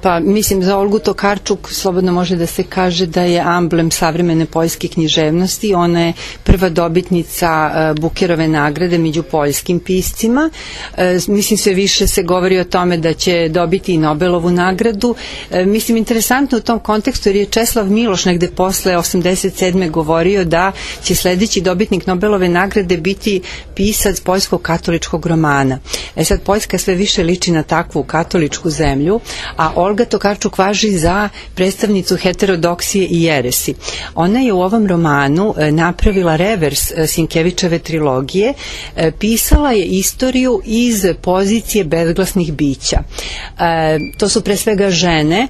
Pa mislim, za Olgu Tokarczuk slobodno može da se kaže da je amblem savremene poljske književnosti. Ona je prva dobitnica Bukerove nagrade među poljskim piscima. Mislim, sve više se govori o tome da će dobiti i Nobelovu nagradu. Mislim, interesantno u tom kontekstu, jer je Česlav Miloš negde posle 87. govorio da će sledeći dobitnik Nobelove nagrade biti pisac poljskog katoličkog romana. Sad, Poljska sve više liči na takvu katoličku zemlju, a Olga Tokarczuk važi za predstavnicu heterodoksije i jeresi. Ona je u ovom romanu napravila revers Sienkiewicziove trilogije, pisala je istoriju iz pozicije bezglasnih bića. To su pre svega žene,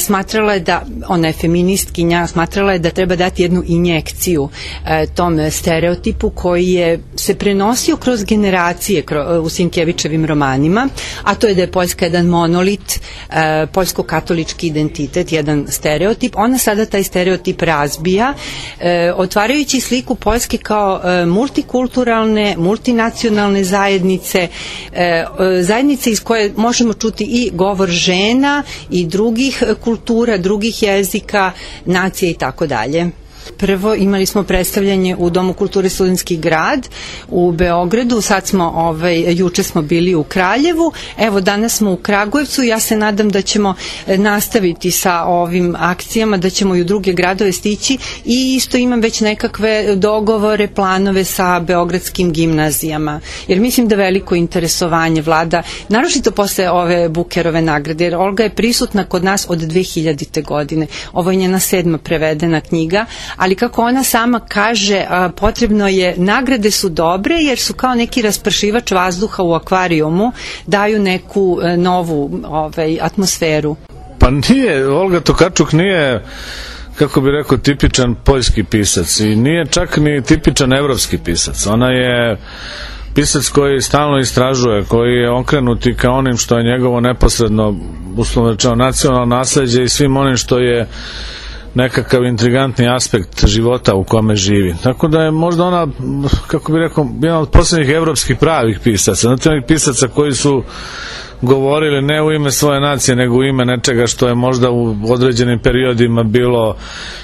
smatrala je da, ona je feministkinja, smatrala je da treba dati jednu injekciju tom stereotipu koji je se prenosio kroz generacije u Sienkiewicziovim romanima, a to je da je Poljska jedan monolit, poljsko-katolički identitet, jedan stereotip. Ona sada taj stereotip razbija, otvarajući sliku Poljske kao multikulturalne, multinacionalne zajednice, zajednice iz koje možemo čuti i govor žena i drugih kultura, drugih jezika, nacije i tako dalje. Prvo imali smo predstavljanje u Domu kulture Studentski grad u Beogradu, sad smo, juče smo bili u Kraljevu, evo danas smo u Kragujevcu. Ja se nadam da ćemo nastaviti sa ovim akcijama, da ćemo i u druge gradove stići i isto imam već nekakve dogovore, planove sa beogradskim gimnazijama, jer mislim da veliko interesovanje vlada, naročito posle ove Bukerove nagrade, jer Olga je prisutna kod nas od 2000. godine. Ovo je njena 7. prevedena knjiga, ali kako ona sama kaže, potrebno je, nagrade su dobre jer su kao neki raspršivač vazduha u akvarijumu, daju neku novu atmosferu. Pa nije, Olga Tokarczuk nije, kako bi rekao, tipičan poljski pisac i nije čak ni tipičan evropski pisac. Ona je pisac koji stalno istražuje, koji je okrenut i ka onim što je njegovo neposredno, uslovno rečeno, nacionalno nasleđe i svim onim što je nekakav intrigantni aspekt života u kome živi. Tako da je možda ona, kako bi rekao, jedan od posljednjih evropskih pravih pisaca. Znate, onih pisaca koji su govorili ne u ime svoje nacije, nego u ime nečega što je možda u određenim periodima bilo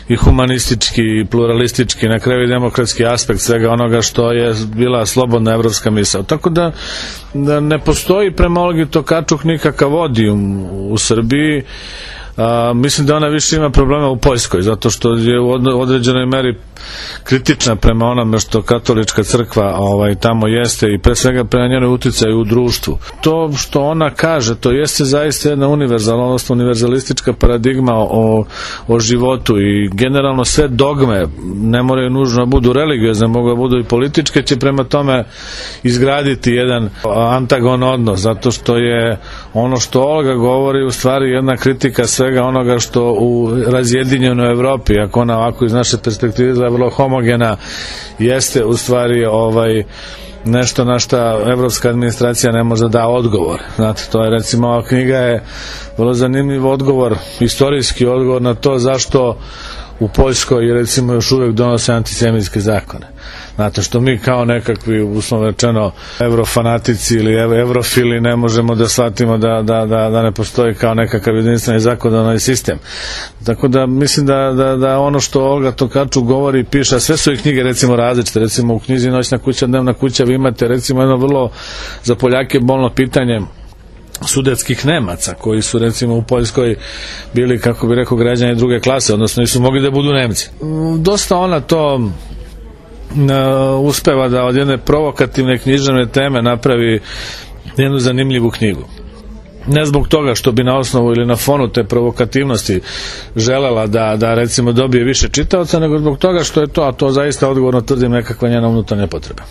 i humanistički i pluralistički, na kraju i demokratski aspekt svega onoga što je bila slobodna evropska misao. Tako da ne postoji prema Olgi Tokarczuk nikakav odijum u Srbiji. Mislim da ona više ima problema u Poljskoj, zato što je u određenoj meri kritična prema onome što katolička crkva tamo jeste i pre svega prema njenoj uticaju u društvu. To što ona kaže, to jeste zaista jedna univerzalna, odnosno univerzalistička paradigma o životu i generalno sve dogme ne moraju nužno budu religiozne, mogu da budu i političke, će prema tome izgraditi jedan antagon odnos, zato što je ono što Olga govori u stvari jedna kritika svega onoga što u razjedinjenoj Evropi, ako ona ovako iz naše perspektive izgleda vrlo homogena, jeste u stvari nešto na šta evropska administracija ne može da odgovor. Znate, to je recimo, ova knjiga je vrlo zanimljiv odgovor, istorijski odgovor na to zašto u Poljskoj recimo još uvek donose antisemitske zakone. Znate, što mi kao nekakvi, uslovno rečeno, evrofanatici ili evrofili ne možemo da shvatimo da ne postoji kao nekakav jedinstveni zakonodavni sistem. Tako da mislim da ono što Olga Tokarczuk govori i piše, a sve su i knjige recimo različite, recimo u knjizi Noćna kuća, Dnevna kuća vi imate recimo jedno vrlo za Poljake bolno pitanje sudetskih Nemaca, koji su recimo u Poljskoj bili, kako bi rekao, građani druge klase, odnosno nisu mogli da budu Nemci. Dosta ona to uspeva da od jedne provokativne književne teme napravi jednu zanimljivu knjigu. Ne zbog toga što bi na osnovu ili na fonu te provokativnosti želela da recimo dobije više čitaoca, nego zbog toga što je to, a to zaista odgovorno tvrdim, nekakva njena unutarnja potreba.